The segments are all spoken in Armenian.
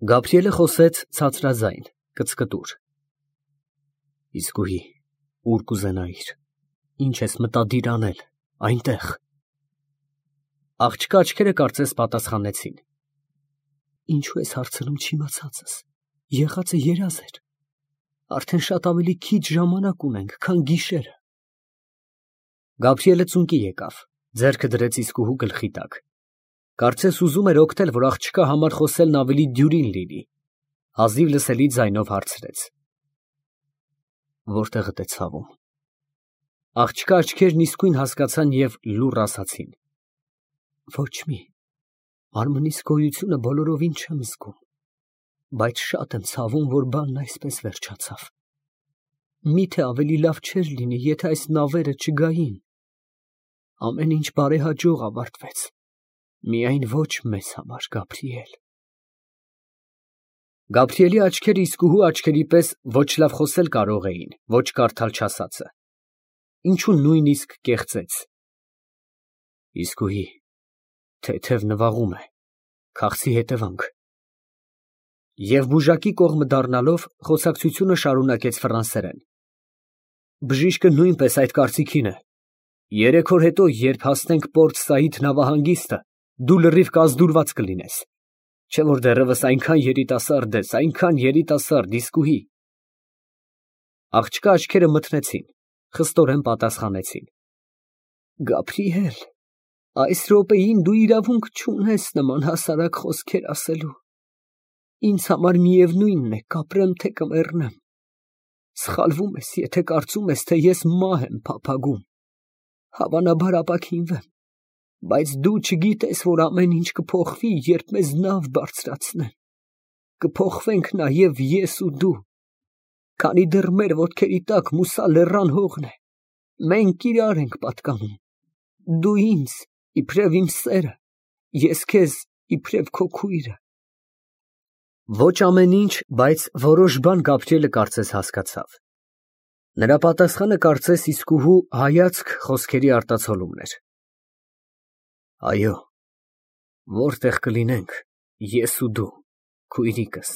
Գաբրիելը խոսեց ցածրաձայն, կծկտուր։ Իսկույի, ուր կուզենայիր, ինչ ես մտադիր անել, այնտեղ։ Աղջկա աչքերը կարծես պատասխանեցին. Ինչու ես հարցնում չիմացածս, եղածը երազ էր, արդեն շատ ավելի քիչ ժամանակ ունենք, քան գիշերը։ Գաբրիելը ծունկի եկավ, ձեռքը դրեց իսկուհու գլխի տակ, կարծես ուզում էր օգնել, որ աղջկա համար խոսելն ավելի դյուրին լինի, հազիվ լսելի ձայնով հարցրեց. Որտեղդ է ցավում։ Աղջկա աչքերն իսկույն հասկացան և լուռ ասացին. Ոչ մի, մարմնիս գոյությունը բոլորովին չեմ զգում, բայց շատ եմ ցավում, որ բանն այսպես վերջացավ։ Միթե ավելի լավ չէր լինի, եթե այս նավերը չգային։ Ամեն ինչ բարեհաջող ավարտվեց, միայն ոչ մեզ համար, Գաբրիել։ Գաբրիելի աչքերը իսկուհու աչքերի պես ոչ լավ խոսել կարող էին, ոչ կարդալ չասածը։ Ինչու նույնիսկ կեղծեց։ Իսկուհի, թեթև նվաղում է, քաղցի հետևանք։ Եվ բուժակի կողմը դառնալով խոսակցությունը շարունակեց ֆրանսերեն։ Բժիշկը նույնպես այդ կարծիքին է։ 3 օր հետո, երբ հասնենք Պորտ Սաիդ նավահանգիստը, դու լրիվ կազդուրված կլինես, չէ որ դեռևս այնքան երիտասարդ ես, այնքան երիտասարդ, իսկուհի։ Աղջկա աչքերը մթնեցին, խստորեն պատասխանեցին. Գաբրիել, այս րոպեին դու իրավունք չունես նման հասարակ խոսքեր ասելու։ Ինձ համար միևնույնն է, կապրեմ, թե կմեռնեմ։ Սխալվում ես, եթե կարծում ես, թե ես մահ եմ փափագում։ Հավանաբար ապաքինվեմ, բայց դու չգիտես, որ ամեն ինչ կփոխվի, երբ մեզ նավ բարձրացնեն։ Կփոխվենք նաև ես ու դու, քանի դեռ մեր ոտքերի տակ Մուսա լեռան հողն է։ Մենք իրար ենք պատկանում։ Դու ինձ, իբրև իմ սերը, ես քեզ, իբրև քո քույրը։ Ոչ ամեն ինչ, բայց որոշ բան Գաբրիելը կարծես հասկացավ։ Նրա պատասխանը կարծես իսկուհու հայացք խոսքերի արտացոլումն էր։ Այո, որտեղ կլինենք, ես ու դու, քույրիկս։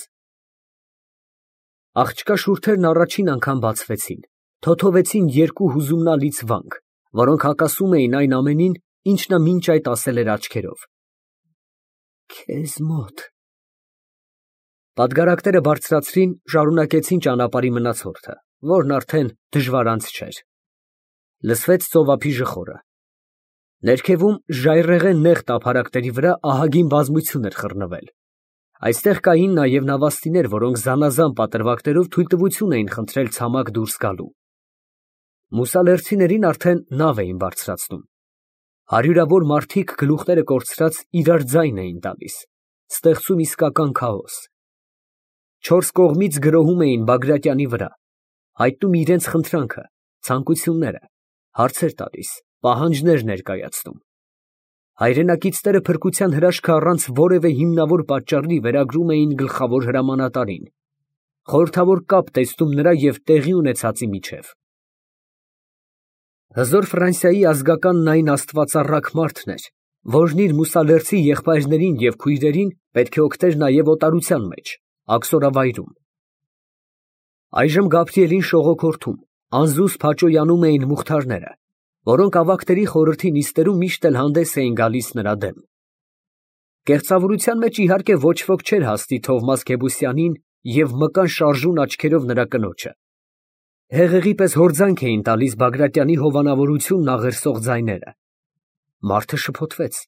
Աղջկա շուրթերն առաջին անգամ բացվեցին, թոթովեցին երկու հուզումնալից վանք, որոնք հակասում էին այն ամենին, ինչ նա մինչ այդ ասել էր աչքերով։ Քեզ մոտ։ Պատգարակները բարձրացրին, շարունակեցին ճանապարհի մնացորդը, որն արդեն դժվարանց չէր։ Լսվեց ծովափի ժխորը։ Ներքևում ժայռերեն նեղ տափարակների վրա ահագին բազմություն էր խռնվել։ Այստեղ կային նաև նավաստիներ, որոնք զանազան պատրվակներով թույլտվություն էին խնդրել ցամաք դուրս գալու։ Մուսալերցիներին արդեն նավ էին բարձրացնում։ Հարյուրավոր մարդիկ գլուխները կորցրած իրար ձայն էին տալիս, ստեղծում իսկական քաոս։ 4 կողմից գրոհում էին Բագրատյանի վրա, հայտնում իրենց խնդրանքը, ցանկությունները, հարցեր տալիս, պահանջներ ներկայացնում։ Հայրենակիցները փրկության հրաշքը առանց որևէ հիմնավոր պատճառի վերագրում էին գլխավոր հրամանատարին, խորհրդավոր կապ տեսնում նրա և տեղի ունեցածի միջև։ Հզոր Ֆրանսիայի ազգականն այն աստվածառակ մարդն էր, որն իր մուսալերցի եղբայրներին և քույրերին պետք է օգներ նաև օտարության մեջ, աքսորավայրում։ Այժմ Գաբրիելին շողոքորթում, անզուսպ հաճոյանում էին մուղթարները, որոնք ավագների խորհրդի նիստերում միշտ էլ հանդես էին գալիս նրա դեմ։ Կեղծավորության մեջ իհարկե ոչ ոք չէր հասնի Թովմաս Գեբուսյանին և մկան շարժուն աչքերով նրա կնոջը։ Հեղեղի պես հորձանք էին տալիս Բագրատյանի հովանավորությունն աղերսող ձայները։ Մարդը շփոթվեց։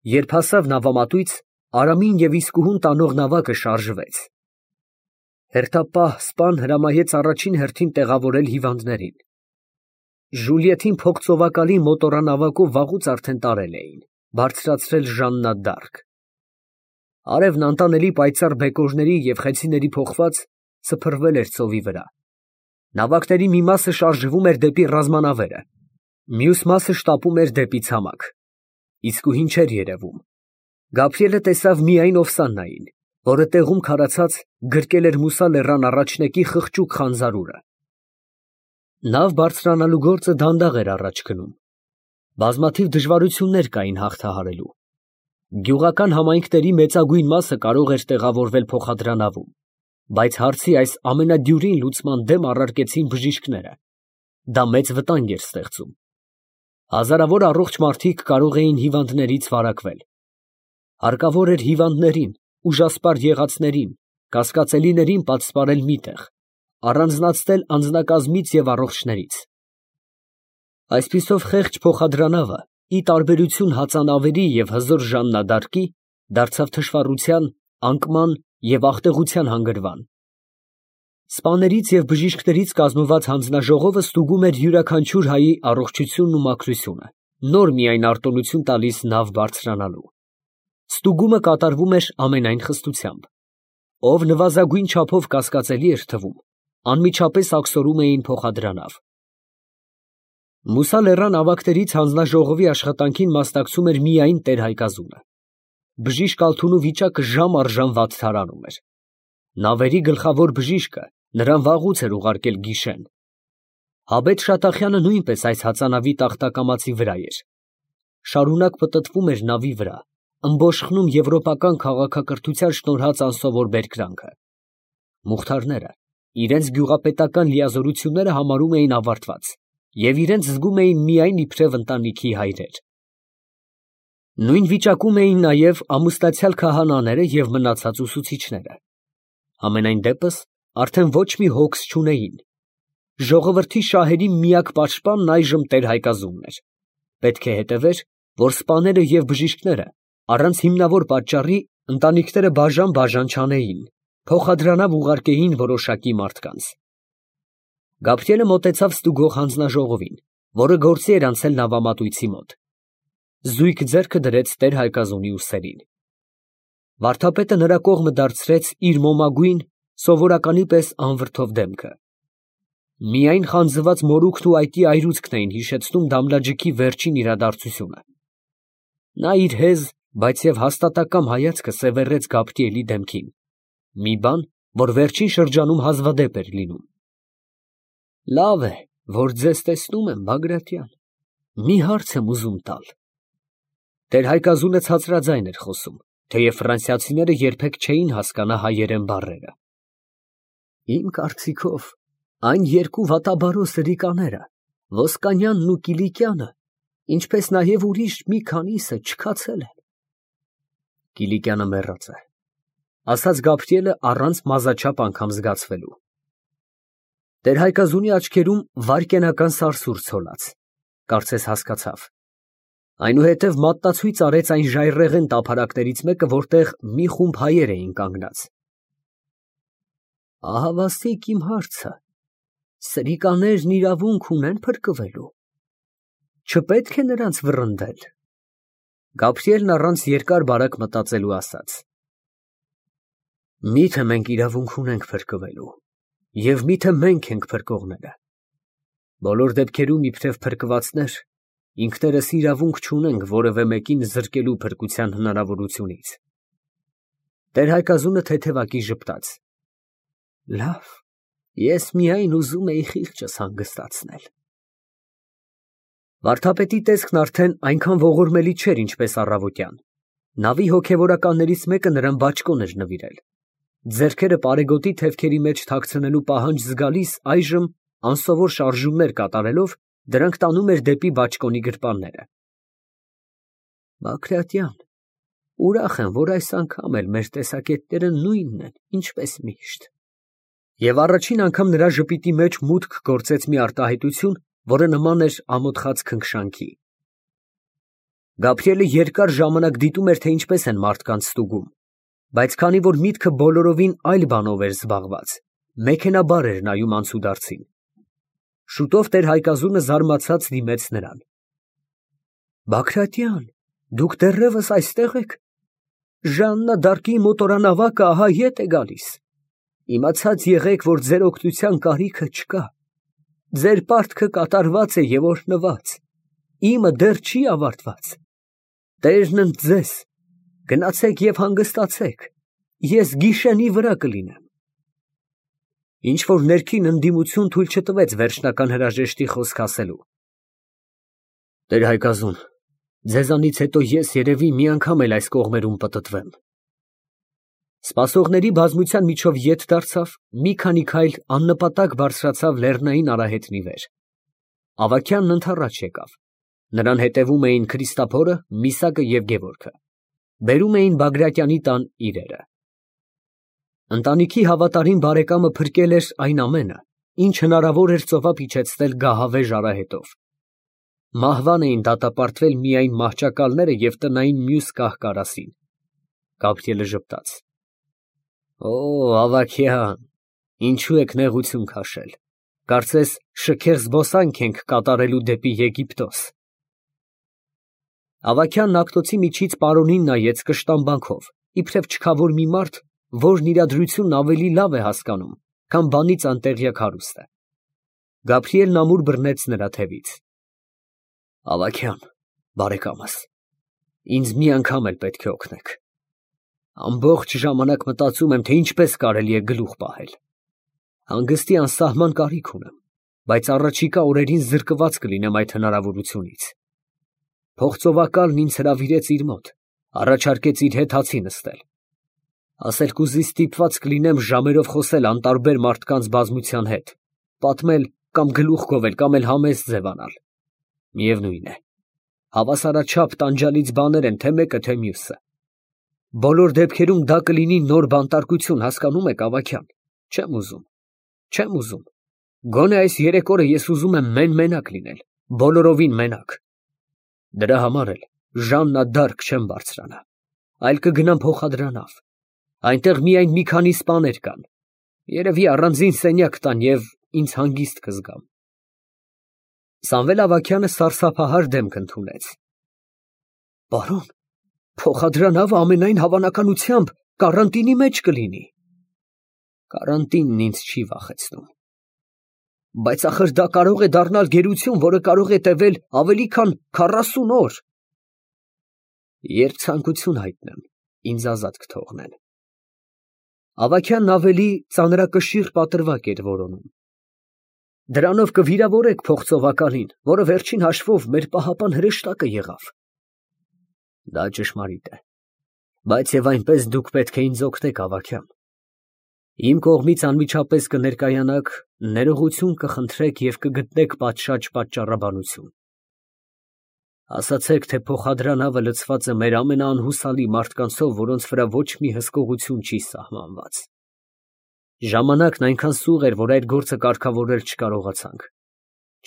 Երբ հասավ նավամատույց, Արամին և իսկուհուն տանող նավակը շարժվեց։ Հերթապահ սպան հրամայեց առաջին հերթին տեղավորել հիվանդներին։ Ժուլիետին փողծովակալի մոտորանավակով վաղուց արդեն տարել էին, բարձրացրել Ժաննա դ'Արկ։ Արևն անտանելի պայծառ բեկորների և խեցիների փոխված սփռվել էր ծովի վրա։ Նավակների մի մասը շարժվում էր դեպի ռազմանավերը, մյուս մասը շտապում էր դեպի ցամաք։ Իսկուհին չէր երևում։ Գաբրիելը տեսավ միայն Օվսաննային, որը տեղում քարացած գրկել էր Մուսա լեռան առաջնեկի խղճուկ խանձարուրը։ Նավ բարձրանալու գործը դանդաղ էր առաջ գնում։ Բազմաթիվ դժվարություններ կային հաղթահարելու։ Գյուղական համայնքների մեծագույն մասը կարող էր տեղավորվել փոխադրանավում, բայց հարցի այս ամենադյուրին լուծման դեմ առարկեցին բժիշկները. դա մեծ վտանգ էր ստեղծում։ Հազարավոր առողջ մարդիկ կարող էին հիվանդներից վարակվել։ Հարկավոր էր հիվանդներին, ուժասպառ եղածներին, կասկածելիներին պատսպարել մի տեղ, առանձնացնել անձնակազմից և առողջներից։ Այսպիսով խեղճ փոխադրանավը, ի տարբերություն հածանավերի և հզոր ժաննադարտկի, դարձավ թշվառության, անկման և աղտեղության հանգրվան։ Սպաներից և բժիշկներից կազմված հանձնաժողովը ստուգում էր յուրաքանչյուր հայի առողջությունն ու մաքրությունը, նոր միայն արտոնություն տալիս նավ բարձրանալու։ Ստուգումը կատարվում էր ամենայն խստությամբ։ Ով նվազագույն չափով կասկածելի էր թվում, անմիջապես աքսորում էին փոխադրանավ։ Մուսա լեռան ավագներից հանձնաժողովի աշխատանքին մասնակցում էր միայն տեր֊Հայկազունը։ Բժիշկ Ալթունու վիճակը ժամ առ ժամ վատթարանում էր։ Նավերի գլխավոր բժիշկը նրան վաղուց էր ուղարկել գիշեն։ Հաբեթ Շատախյանը նույնպես այս հածանավի տախտակամածի վրա էր։ Շարունակ պտտվում էր նավի վրա, ըմբոշխնում եվրոպական քաղաքակրթության շնորհած անսովոր բերկրանքը։ Մուղթարները իրենց գյուղապետական լիազորությունները համարում էին ավարտված և իրենց զգում էին միայն իբրև ընտանիքի հայրեր։ Նույն վիճակում էին նաև ամուսնացյալ քահանաները և մնացած ուսուցիչները։ Համենայն դեպս արդեն ոչ մի հոգս չունեին։ Ժողովրդի շահերի միակ պաշտպանն այժմ տեր֊Հայկազունն էր։ Պետք է հետևեր, որ սպաները և բժիշկները առանց հիմնավոր պատճառի ընտանիքները բաժան չանեին, փոխադրանավ ուղարկեին որոշակի մարդկանց։ Գաբրիելը մոտեցավ ստուգող հանձնաժողովին, որը գործի էր անցել նավամատույցի մոտ։ Զույգ ձեռքը դրեց տեր֊Հայկազունի ուսերին։ Վարդապետը նրա կողմը դարձրեց իր մոմագույն, սովորականի պես անվրդով դեմքը։ Միայն խանձված մորուքն ու այտի այրուձքն էին հիշեցնում Դամլաջիկի վերջին իրադարձությունը։ Նա իր հեզ, բայց և հաստատակամ հայացքը սևեռեց Գաբրիելի դեմքին, մի բան, որ վերջին շրջանում հազվադեպ էր լինում։ Լավ է, որ ձեզ տեսնում եմ, Բագրատյան, մի հարց եմ ուզում տալ։ Տեր֊Հայկազունը ցածրաձայն էր խոսում, թեև ֆրանսիացիները երբեք չէին հասկանա հայերեն բառերը։ Իմ կարծիքով, այն երկու վատաբարո սրիկաները, Ոսկանյանն ու Կիլիկյանը, ինչպես նաև ուրիշ մի քանիսը չքացել են։ Կիլիկյանը մեռած է, ասաց Գաբրիելը առանց մազաչափ անգամ զգացվելու։ Տեր֊Հայկազունի աչքերում վայրկենական սարսուռ ցոլած, կարծես հասկացավ։ Այնուհետև մատնացույց արեց այն ժայռերեն տափարակներից մեկը, որտեղ մի խումբ հայեր էին կանգնած։ Ահավասիկ իմ հարցը, սրիկաներն իրավունք ունեն փրկվելու։ Չպետք է նրանց վռնդել։ Գաբրիելն առանց երկար֊բարակ մտածելու ասաց. Միթե մենք իրավունք ունենք փրկվելու, և միթե մենք ենք փրկողները։ Բոլոր դեպքերում իբրև փրկվածներ, ինքներս իրավունք չունենք որևէ մեկին զրկելու փրկության հնարավորությունից։ Տեր֊Հայկազունը թեթևակի ժպտաց. Լավ, ես միայն ուզում էի խիղճս հանգստացնել։ Վարդապետի տեսքն արդեն այնքան ողորմելի չէր, ինչպես առավոտյան։ Նավի հոգևորականներից մեկը նրան բաճկոն էր նվիրել։ Ձեռքերը պարեգոտի թևքերի մեջ թաքցնելու պահանջ զգալիս այժմ անսովոր շարժումներ կատարելով, դրանք տանում էր դեպի բաճկոնի գրպանները։ Բագրատյան, ուրախ եմ, որ այս անգամ էլ մեր տեսակետները նույնն են, ինչպես միշտ։ Եվ առաջին անգամ նրա ժպիտի մեջ մուտք գործեց մի արտահայտություն, որը նման էր ամոթխած քնքշանքի։ Գաբրիելը երկար ժամանակ դիտում էր, թե ինչպես են մարդկանց ստուգում, բայց քանի որ միտքը բոլորովին այլ բանով էր զբաղված, մեքենաբար էր նայում անցուդարձին։ Շուտով տեր֊Հայկազունը զարմացած դիմեց նրան. Բագրատյան, դուք դեռևս այստեղ եք։ Ժաննա դ'Արկի մոտորանավակը ահա ետ է գալիս։ Իմացած եղեք, որ ձեր օգնության կարիքը չկա։ Ձեր պարտքը կատարված է և օրհնված, իմը դեռ չի ավարտված։ Տերն ընդ ձեզ, գնացեք և հանգստացեք, ես գիշենի վրա կլինեմ։ Ինչ-որ ներքին ընդդիմություն թույլ չտվեց վերջնական հրաժեշտի խոսք ասելու։ Տեր֊Հայկազուն, Ձեզանից հետո ես երևի մի անգամ էլ այս կողմերում պտտվեմ։ Սպասողների բազմության միջով ետ դարձավ, մի քանի քայլ աննպատակ բարձրացավ լեռնային արահետնի վեր։ Ավագյանն ընդառաջ եկավ։ Նրան հետևում էին Քրիստափորը, Միսակը և Գևորգը։ Բերում էին Բագրատյանի տան իրերը։ Ընտանիքի հավատարիմ բարեկամը փրկել էր այն ամենը, ինչ հնարավոր էր ծովափ իջեցնել գահավեժ արահետով։ Մահվան էին դատապարտվել միայն մահճակալները և տնային մյուս կահ֊կարասին։ Գաբրիելը ժպտաց. Օ, ավագյան, ինչու եք նեղություն քաշել, կարծես շքեղ զբոսանք ենք կատարելու դեպի Եգիպտոս։ Ավագյանն ակտոցի միջից պարոնին նայեց կշտամբանքով, իբրև չքավոր մի մարդ, որն իրադրությունն ավելի լավ է հասկանում, քան բանից անտեղյակ հարուստը։ Գաբրիելն ամուր բռնեց նրա թևից։ Ավագյան, բարեկամս, ինձ մի անգամ էլ պետք է օգնեք։ Ամբողջ ժամանակ մտածում եմ, թե ինչպես կարելի է գլուխ պահել։ Հանգստի անսահման կարիք ունեմ, բայց առաջիկա օրերին զրկված կլինեմ այդ հնարավորությունից։ Փողծովակալն ինձ հրավիրեց իր մոտ, առաջարկեց իր հետ հացի նստել։ Ասել կուզի ստիպված կլինեմ ժամերով խոսել անտարբեր մարդկանց բազմության հետ, պատմել կամ գլուխ գովել կամ էլ համեստ ձևանալ։ Միևնույն է, հավասարաչափ տանջալից բաներ են թե մեկը, թե մյուսը։ Բոլոր դեպքերում դա կլինի նոր բանտարկություն, հասկանում եք, ավագյան։ Չեմ ուզում։ Գոնե այս 3 օրը ես ուզում եմ մենակ լինել, բոլորովին մենակ։ Դրա համար էլ Ժաննա դարկ չեմ բարձրանա, այլ կգնամ փոխադրանավ։ Այնտեղ միայն մի քանի սպաներ կան։ Երևի առանձին սենյակ տան և ինձ հանգիստ կզգամ։ Սամվել ավագյանը սարսափահար դեմք ընդունեց։ Պարոն, փոխադրանավը ամենայն հավանականությամբ կարանտինի մեջ կլինի։ Կարանտինն ինձ չի վախեցնում։ Բայց ախր դա կարող է դառնալ գերություն, որը կարող է տևել ավելի քան 40 օր։ Երբ ցանկություն հայտնեմ, ինձ ազատ կթողնեն։ Ավագյանն ավելի ծանրակշիռ պատրվակ էր որոնում։ Դրանով կվիրավորեք փողծովակալին, որը վերջին հաշվով մեր պահապան հրեշտակը եղավ։ Դա ճշմարիտ է, բայց եւ այնպես դուք պետք է ինձ օգնեք, ավագյան։ Իմ կողմից անմիջապես կներկայանաք, ներողություն կխնդրեք և կգտնեք պատշաճ պատճառաբանություն։ Ասացեք, թե փոխադրանավը լցված է մեր ամենաանհուսալի մարդկանցով, որոնց վրա ոչ մի հսկողություն չի սահմանված։ Ժամանակն այնքան սուղ էր, որ այդ գործը կարգավորել չկարողացանք։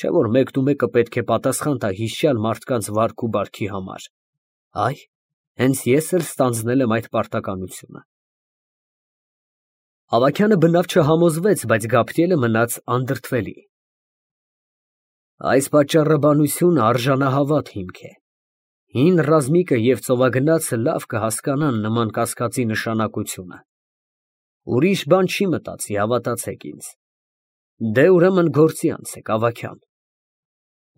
Չէ՞ որ մեկնումեկը պետք է պատասխան տա հիշյալ մարդկանց վարք ու բարքի համար։ Այ, հենց ես էլ ստանձնել եմ այդ պարտականությունը։ Ավագյանը բնավ չհամոզվեց, բայց Գաբրիելը մնաց անդրդվելի։ Այս պատճառաբանությունը արժանահավատ հիմք է։ Հին ռազմիկը և ծովագնացը լավ կհասկանան նման կասկածի նշանակությունը։ Ուրիշ բան չի մտածի, հավատացեք ինձ։ Դե ուրեմն գործի անցեք, ավագյան։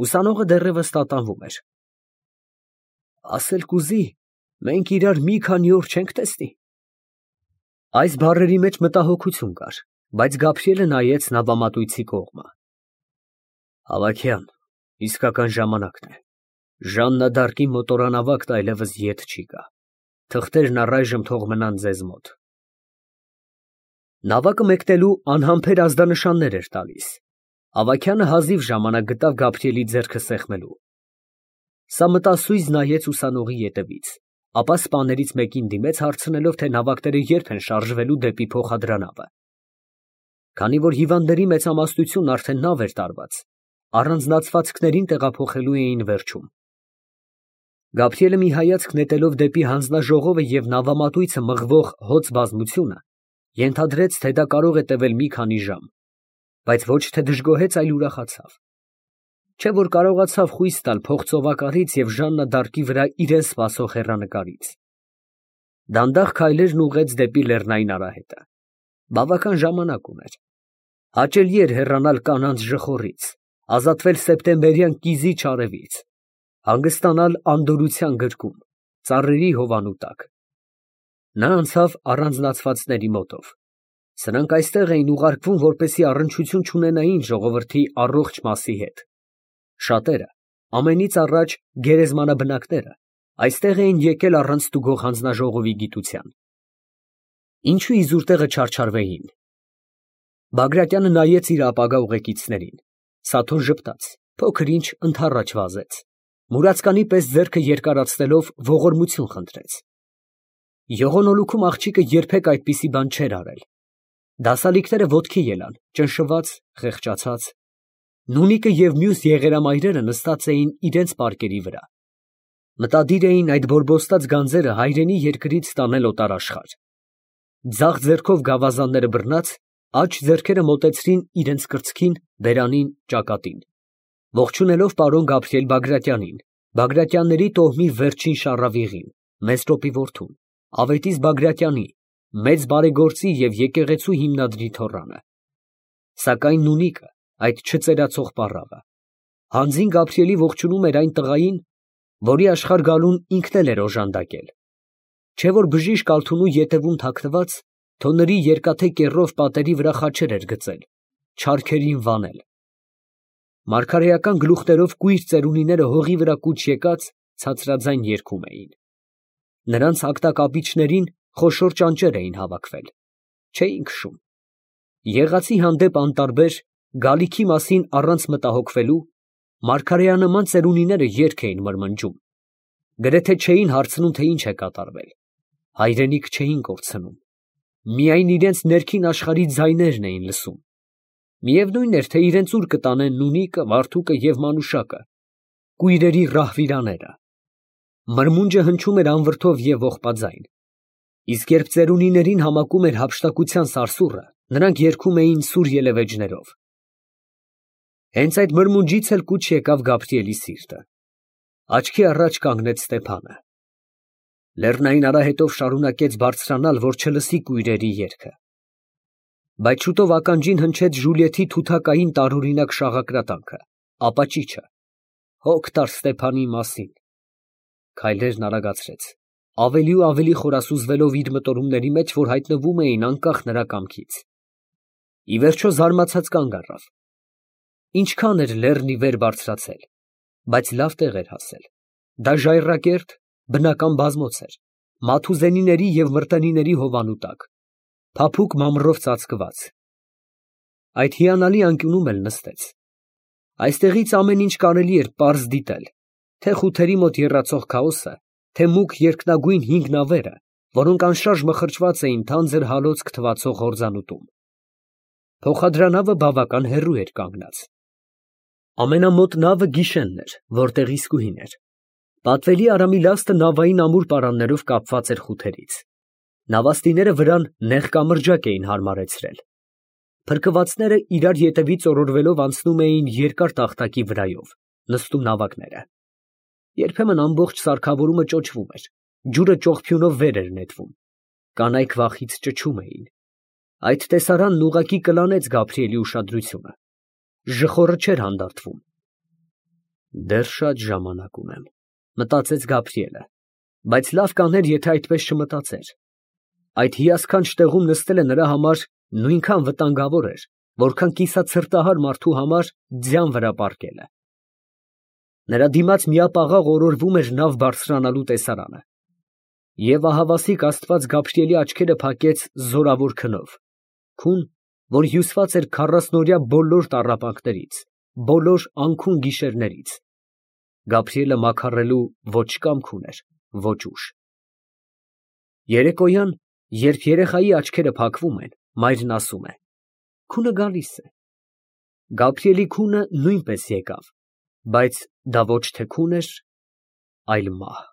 Ուսանողը դեռևս տատանվում էր։ Ասել կուզի, մենք իրար մի քանի օր չենք տեսնի։ Այս բառերի մեջ մտահոգություն կար, բայց Գաբրիելը նայեց նավամատույցի կողմը։ Ավագյան, իսկական ժամանակն է։ Ժաննա դարկի մոտորանավակն այլևս ետ չի գա։ Թղթերն առայժմ թող մնան ձեզ մոտ։ Նավակը մեկնելու անհամբեր ազդանշաններ էր տալիս։ Ավագյանը հազիվ ժամանակ գտավ Գաբրիելի ձեռքը սեղմելու։ Սա մտասույզ նայեց ուսանողի ետևից, ապա սպաներից մեկին դիմեց հարցնելով, թե նավակները երբ են շարժվելու դեպի փոխադրանավը։ Քանի որ հիվանդների մեծամասնությունն արդեն նավ էր տարված, առանձնացվածքներին տեղափոխելու էին վերջում։ Գաբրիելը մի հայացք նետելով դեպի հանձնաժողովը և նավամատույցը մղվող հոծ բազմությունը, ենթադրեց, թե դա կարող է տևել մի քանի ժամ, բայց ոչ թե դժգոհեց, այլ ուրախացավ։ Չէ՞ որ կարողացավ խույս տալ փողծովակալից և Ժաննա դարկի վրա իրեն սպասող հեռանկարից։ Դանդաղ քայլերն ուղղեց դեպի լեռնային արահետը։ Բավական ժամանակ ուներ։ Հաճելի էր հեռանալ կանանց ժխորից, ազատվել սեպտեմբերյան կիզիչ արևից, հանգստանալ անդորրության գրկում, ծառերի հովանու տակ։ Նա անցավ առանձնացվածների մոտով։ Սրանք այստեղ էին ուղարկվում, որպեսզի առնչություն չունենային ժողովրդի առողջ մասի հետ։ Շատերը, Ամենից առաջ գերեզմանաբնակները այստեղ էին եկել առանց ստուգող հանձնաժողովի գիտության։ Ինչու իզուր տեղը չարչարվեին։ Բագրատյանը նայեց իր ապագա ուղեկիցներին, Սաթոն ժպտաց, փոքր ինչ ընդառաջ վազեց, մուրացկանի պես ձեռքը երկարացնելով ողորմություն խնդրեց։ Եղոնոլուքում աղջիկը երբեք այդպիսի բան չէր արել։ Դասալիկները ոտքի ելան, ճնշված, խեղճացած։ Նունիկը և մյուս եղերամայրերը նստած էին իրենց պարկերի վրա։ Մտադիր էին այդ բորբոստած գանձերը հայրենի երկրից տանել օտարաշխարհ։ Ձախ ձեռքով գավազանները բռնած, աջ ձեռքերը մոտեցրին իրենց կրծքին, բերանին, ճակատին, ողջունելով պարոն Գաբրիել Բագրատյանին, Բագրատյանների տոհմի վերջին շառավիղին, Մեսրոպի որդուն, Ավետիս Բագրատյանի, մեծ բարեգործի և եկեղեցու հիմնադրի թոռանը։ Սակայն նունիկը, այդ չծերացող պառավը, հանձին Գաբրիելի ողջունում էր այն տղային, որի աշխարհ գալուն ինքն էլ էր օժանդակել, չէ որ բժիշկ Ալթունու ետևում թաքնված, թոնրի երկաթե կեռով պատերի վրա խաչեր էր գծել, չարքերին վանել։ Մարգարեական գլուխներով կույր ծերունիները հողի վրա կուչ եկած ցածրաձայն երգում էին։ Նրանց ակտակապիչներին խոշոր ճանճեր էին հավաքվել, չէին քշում։ Եղածի հանդեպ անտարբեր, գալիքի մասին առանց մտահոգվելու, մարգարեանման ծերունիները երգ էին մրմնջում, գրեթե չէին հարցնում, թե ինչ է կատարվել, հայրենիք չէին կորցնում, միայն իրենց ներքին աշխարհի ձայներն էին լսում։ Միևնույն էր, թե իրենց ուր կտանեն նունիկը, Վարդուկը և Մանուշակը, կույրերի ռահվիրաները։ Մրմունջը հնչում էր անվրդով և ողբաձայն, իսկ երբ ծերունիներին համակում էր հափշտակության սարսուռը, նրանք երգում էին սուր ելևէջներով։ Հենց այդ մրմունջից էլ կուչ եկավ Գաբրիելի սիրտը։ Աչքի առաջ կանգնեց Ստեփանը։ Լեռնային արահետով շարունակեց բարձրանալ, որ չլսի կույրերի երգը։ Բայց շուտով ականջին հնչեց Ժուլիեթի թութակային տարօրինակ շաղակրատանքը, ապաճիճը, հոգ տար Ստեփանի մասին։ Քայլերն արագացրեց, ավելի ու ավելի խորասուզվելով իր մտորումների մեջ, որ հայտնվում էին անկախ նրա կամքից։ Ի վերջո զարմացած կանգ առավ։ Ինչքան էր լեռն ի վեր բարձրացել, բայց լավ տեղ էր հասել։ Դա ժայռակերտ, բնական բազմոց էր, մաթուզենիների և մրտենիների հովանու տակ, փափուկ մամռով ծածկված։ Այդ հիանալի անկյունում էլ նստեց։ Այստեղից ամեն ինչ կարելի էր պարզ դիտել, թե խութերի մոտ եռացող քաոսը, թե մուգ երկնագույն հինգ նավերը, որոնք անշարժ մխրճված էին թանձր հալոցք թվացող հորձանուտում։ Փոխադրանավը բավական հեռու էր կանգնած։ Ամենամոտ նավը գիշենն էր, որտեղ իսկույն էր։ Պատվելի Արամի լաստը նավային ամուր պարաններով կապված էր խութերից։ Նավաստիները վրան նեղ կամրջակ էին հարմարեցրել։ Փրկվածները իրար ետևից օրորվելով անցնում էին երկար տախտակի վրայով, նստում նավակները։ Երբեմն ամբողջ սարքավորումը ճոճվում էր, ջուրը ճողփյունով վեր էր նետվում, կանայք վախից ճչում էին։ Այդ տեսարանն ուղղակի կլանեց Գաբրիելի ուշադրությունը։ Ժխորը չէր հանդարտվում։ Դեռ շատ ժամանակ ունեմ, մտածեց Գաբրիելը, բայց լավ կաներ, եթե այդպես չմտածեր։ Այդ հիասքանչ տեղում նստելը նրա համար նույնքան վտանգավոր էր, որքան կիսացրտահար մարդու համար ձյան վրա պառկելը։ Նրա դիմաց միապաղաղ օրորվում էր նավ բարձրանալու տեսարանը։ Եվ ահավասիկ Աստված Գաբրիելի աչքերը փակեց զորավոր քնով, քուն, որ հյուսված էր քառասնօրյա բոլոր տառապանքներից, բոլոր անքուն գիշերներից։ Գաբրիելը մաքարելու ոչ կամք ուներ, ոչ ուժ։ Երեկոյան, երբ երեխայի աչքերը փակվում են, մայրն ասում է. քունը գալիս է։ Գաբրիելի քունը նույնպես եկավ, բայց դա ոչ թե քուն էր, այլ մահ։